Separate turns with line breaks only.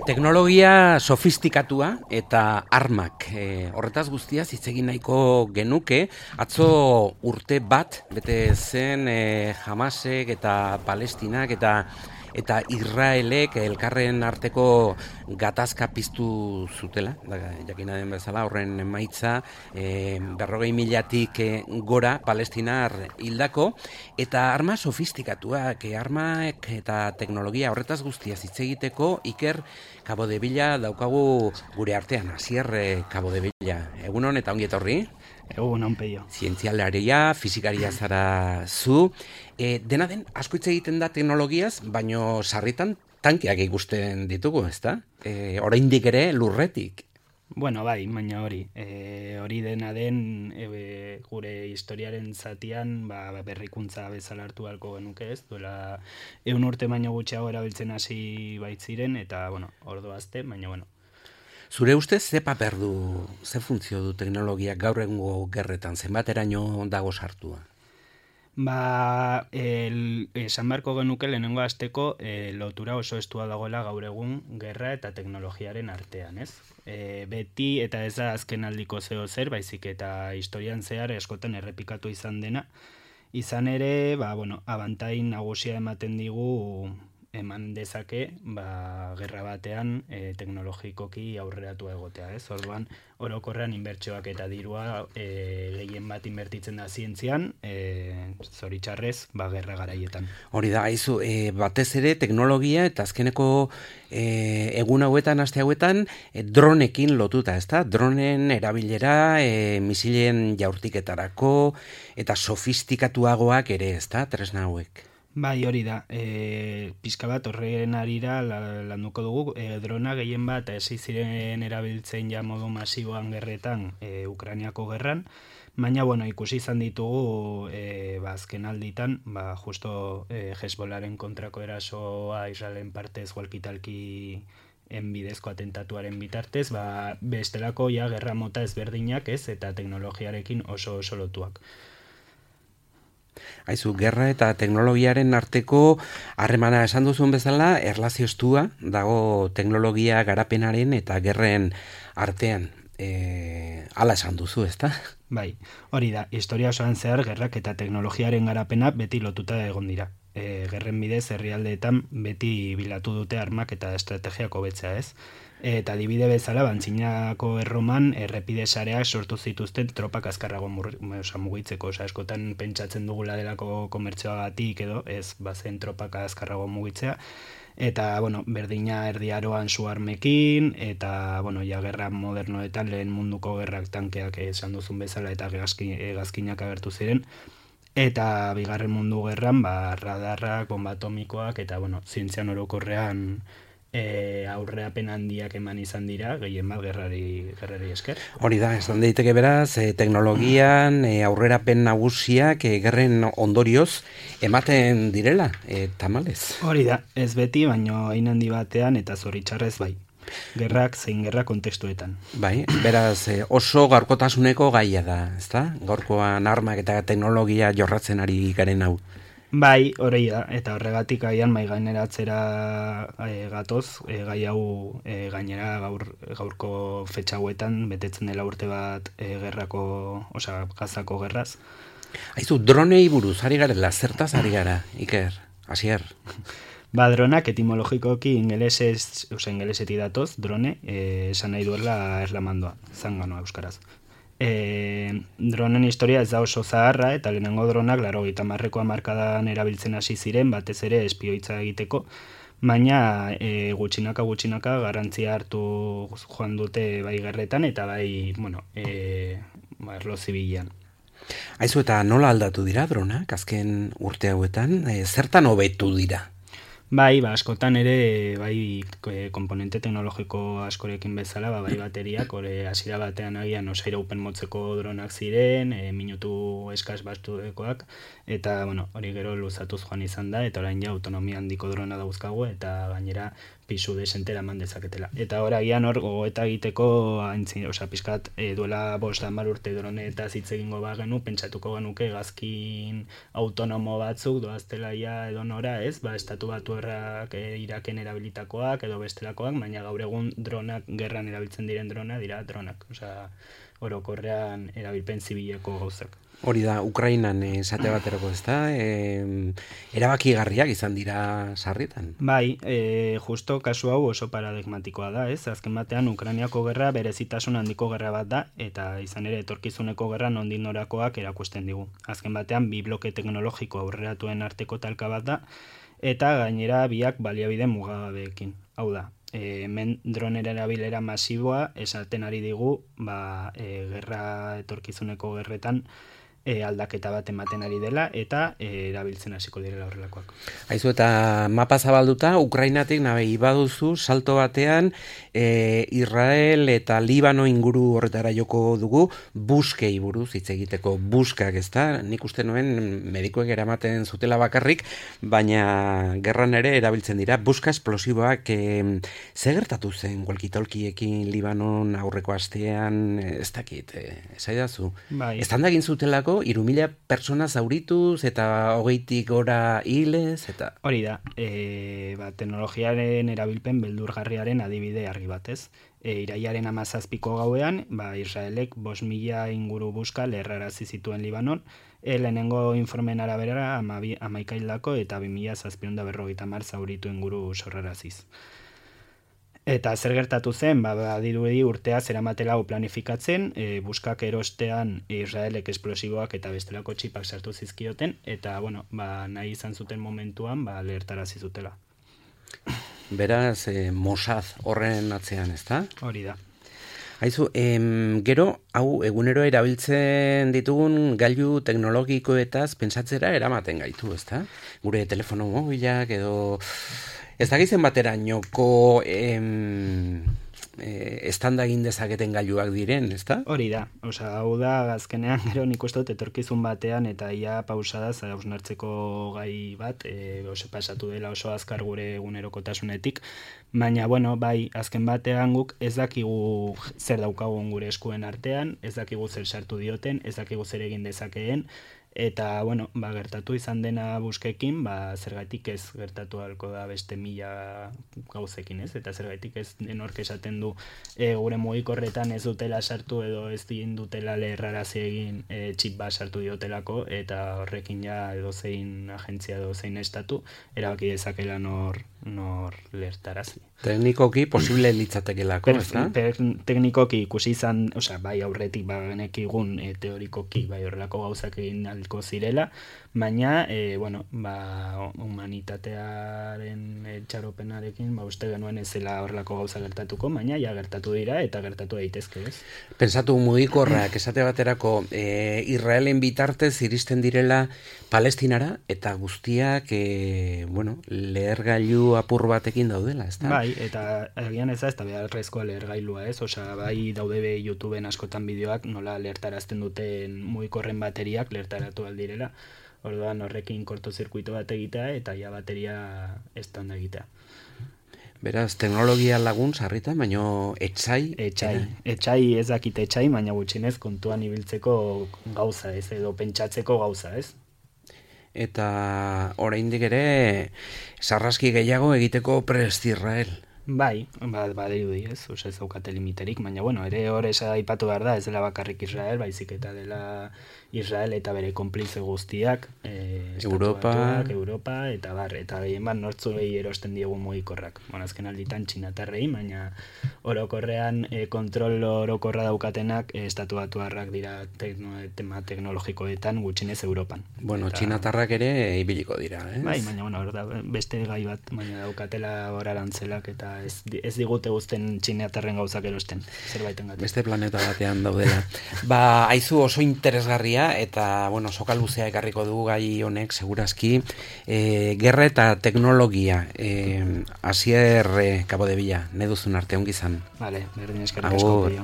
Teknologia sofistikatua eta armak. Horretaz guztiaz hitz egin nahiko genuke, atzo urte bat bete zen Hamasek eta Palestinak eta Israelek elkarren arteko gatazka piztu zutela, jakina den bezala horren emaitza 40.000-tik gora palestinar hildako, eta arma sofistikatuak, armak eta teknologia horretaz guztiaz hitz egiteko Iker Capodevilla daukagu gure artean, Asier Capodevilla. Egunon eta ongi etorri.
Egunon, peio.
Zientzialaria, fisikaria zara zu. Dena den, asko hitz egiten da teknologiaz, baino sarritan tankeak ikusten ditugu, ezta? Oraindik ere lurretik.
Bueno, bai, baina hori. Hori dena den gure historiaren zatian berrikuntza bezala hartu halko genuke, ez? Duela 100 urte baino gutxiago erabiltzen hasi baitziren, eta, bueno, ordu azte, baina, bueno.
Zure ustez, ze paper du, ze funtzio du teknologiak gaur egungo gerretan, zenbateraino dago sartua?
Esan beharko genuke lehenengo hasteko lotura oso estua dagoela gaur egun gerra eta teknologiaren artean, ez? Beti eta ez da azken aldiko zeo zer, baizik eta historian zehar eskotan errepikatu izan dena. Izan ere, abantain nagusia ematen digu eman dezake, gerra batean teknologikoki aurreratu egotea, ez? Orduan, orokorrean inbertsioak eta dirua gehien bat inbertitzen da zientzian, zoritxarrez, gerra garaietan.
Hori da, haizu, batez ere teknologia eta azkeneko egun hauetan, aste hauetan, dronekin lotuta, ezta? Dronen erabilera, misilen jaurtiketarako eta sofistikatuagoak ere, ezta? Tresna hauek.
Bai, hori da. Pixka bat horren arira landuko dugu. Drona gehien bat hasi ziren erabiltzen ja modu masiboan gerretan Ukrainiako gerran. Baina, ikusi izan ditugu azken alditan, justo Hezbollaren kontrako erasoa Israelen partez walkitalki bidezko atentatuaren bitartez, bestelako gerra mota ezberdinak, ez, eta teknologiarekin oso lotuak.
Haizu, gerra eta teknologiaren arteko harremana esan duzun bezala, erlazio estua dago teknologia garapenaren eta gerren artean. Hala esan duzu, ezta?
Bai, hori da, historia osoan zehar gerrak eta teknologiaren garapena beti lotuta egon dira. Gerren bidez herrialdeetan beti bilatu dute armak eta estrategiako betzea, ez? Eta adibide bezala, Antzinako Erroman errepide sareak sortu zituzten tropak azkarrago mugitzeko, eskotan pentsatzen dugula delako komertzioagatik edo, ez bazen tropak azkarrago mugitzea, eta, berdina erdiaroan su armekin, eta, gerra modernoetan lehen munduko gerrak tankeak esan duzun bezala eta hegazkinak agertu ziren, eta bigarren mundu gerran, radarrak, bomba atomikoak, eta, zientzian orokorrean aurreapen handiak eman izan dira, gehien bat gerrari esker.
Hori da, esan daiteke beraz, teknologian aurrerapen nagusiak gerren ondorioz ematen direla, tamalez.
Hori da, ez beti, baino hain handi batean eta zoritxarrez bai. Gerrak zein gerra kontestuetan.
Bai, beraz oso gaurkotasuneko gaia da, ezta? Gaurkoan armak eta teknologia jorratzen ari garen hau.
Bai, hori da, eta horregatik gaian maigaineratzera gatoz, gai hau gainera gaurko fetxa hauetan betetzen dela urte bat Gazako gerraz.
Haizu, dronei buruz, ari garela, zertaz ari gara, Iker, Asier?
Dronak etimologikoki ingelesetik datoz, drone, esan nahi duela erlamandoa, zanganoa euskaraz. Dronen historia ez da oso zaharra, eta lehenengo dronak 80ko hamarkadan erabiltzen hasi ziren, batez ere espioitza egiteko, baina gutxinaka garrantzia hartu joan dute bai gerretan eta bai, erlo zibilean.
Haizu, eta nola aldatu dira dronak, azken urte hauetan, zertan hobetu dira?
Bai, askotan ere, bai, komponente teknologiko askorekin bezala, bai bateriak, hasiera batean agian osairaupen motzeko dronak ziren, minutu eskas bastuekoak, eta, hori gero luzatuz joan izan da, eta orain ja autonomia handiko drona dauzkagu, eta gainera pisu desentera eman dezaketela. Eta oragian hor gogoeta egiteko pizkat duela 5-10 urte dronetaz hitz egingo bagenu, pentsatuko genuke hegazkin autonomo batzuk doaztela ja edo nora, ez? Estatu Batuarrak Iraken erabilitakoak edo bestelakoak, baina gaur egun dronak, gerran erabiltzen diren dira dronak. Orokorrean erabilpen zibileko gauzak.
Hori da, Ukrainan esate baterako, ez da? Erabakigarriak izan dira sarrietan.
Bai, justo kasu hau oso paradigmatikoa da, ez? Azken batean, Ukrainiako gerra berezitasun handiko gerra bat da, eta izan ere etorkizuneko gerra nondik norakoak erakusten digu. Azken batean, bi bloke teknologiko aurreratuen arteko talka bat da, eta gainera biak baliabide mugagabeekin. Hau da, hemen dronera erabilera masiboa esaten ari digu, gerra etorkizuneko gerretan aldaketa bat ematen ari dela eta erabiltzen hasiko direla horrelakoak.
Aizu, eta mapa zabalduta, Ukrainatik nahi baduzu salto batean Israel eta Libano inguru horretara joko dugu buskei buruz hitz egiteko. Buskak, ez da? Nik uste nuen medikuek eramaten zutela bakarrik, baina gerran ere erabiltzen dira. Buska esplosiboak ze gertatu zen walkie-talkiekin Libanon aurreko astean, ez dakit, esaidazu.
Bai.
Estan egin zutelako 3.000 persona zaurituz eta 20 gora hilez eta...
Hori da, teknologiaren erabilpen beldurgarriaren adibide argi batez. Iraiaren 17ko gauean, Israelek 5.000 inguru buska lerrarazi zituen Libanon, lehenengo informen arabera 11 hildako eta 2.750 zauritu inguru sorraraziz. Eta zer gertatu zen, badirudi urtea zeramatela planifikatzen, buskak erostean Israelek esplosiboak eta bestelako txipak sartu zizkioten, eta nahi izan zuten momentuan lehertarazi zutela.
Beraz, Mossad horren atzean, ez da?
Hori da.
Aizu, gero, hau egunero erabiltzen ditugun gailu teknologikoetaz pentsatzera eramaten gaitu, ez da? Gure telefono mobilak edo... Ez dakizen baterainoko estanda egin dezaketen gailuak diren, ez da?
Hori da, hau da, azkenean gero nik uste dut etorkizun batean eta ia pausadaz hausnartzeko gai bat, pasatu dela oso azkar gure egunerokotasunetik, baina, bai, azken batean guk ez dakigu zer daukagun gure eskuen artean, ez dakigu zer sartu dioten, ez dakigu zer egin dezakeen, eta, gertatu izan dena buskekin, zergatik ez gertatu ahalko da beste 1000 gauzekin, ez? Eta zergatik ez denork esaten du gure mugikorretan ez dutela sartu edo ez dutela leherrarazi egin txip bat sartu diotelako, eta horrekin ja edozein agentzia edozein estatu erabaki dezakela nor lehertarazi.
Teknikoki posible litzatekelako, ez da?
Teknikoki ikusi izan, bai aurretik genekigun teorikoki bai horrelako gauzak egin ahalko zirela, baina, humanitatearen txaropenarekin, uste genuen ez zela horrelako gauza gertatuko, baina ja gertatu dira eta gertatu daitezke, ez?
Pensatu mugikorrak esate baterako Israelen bitartez iristen direla Palestinara eta guztiak, lehergailu apur batekin daudela, ez da?
Bai, eta agian ez da, ez da beharrezkoa lehergailua, ez? Bai daude YouTubeen askotan bideoak nola lehertarazten duten mugikorren bateriak lehertaratu aldirela. Orduan horrekin kortozirkuito bat egitea eta ja bateria estanda egitea.
Beraz, teknologia lagun sarritan, baina etsai?
Etsai ez dakit etsai, baina gutxinez kontuan ibiltzeko gauza, ez? Edo pentsatzeko gauza, ez?
Eta oraindik ere sarraski gehiago egiteko prest Israel.
Bai, badirudi, ez? Ez daukate limiterik, baina ere hor aipatu behar da, ez dela bakarrik Israel, baizik eta dela Israel eta bere konplize guztiak,
Europa,
eta gehien bat nortzuei erosten diegu mugikorrak. Azken alditan txinatarrei, baina orokorrean kontrol orokorra daukatenak Estatu Batuarrak dira tema teknologikoetan gutxinez Europan.
Txinatarrak ere ibiliko dira, ez?
Bai, baina beste gai bat, baina daukatela orarantzelak eta ez digute guzten txinatarren gauzak erosten, zerbaiten gaten.
Beste planeta batean daudela. Aizu oso interesgarria eta, soka luzea ekarriko dugu gai honek, segurazki, gerra eta teknologia, Asier Cabo de Villa, nahi duzun arte, ongi izan.
Vale, berdin eskerrik asko.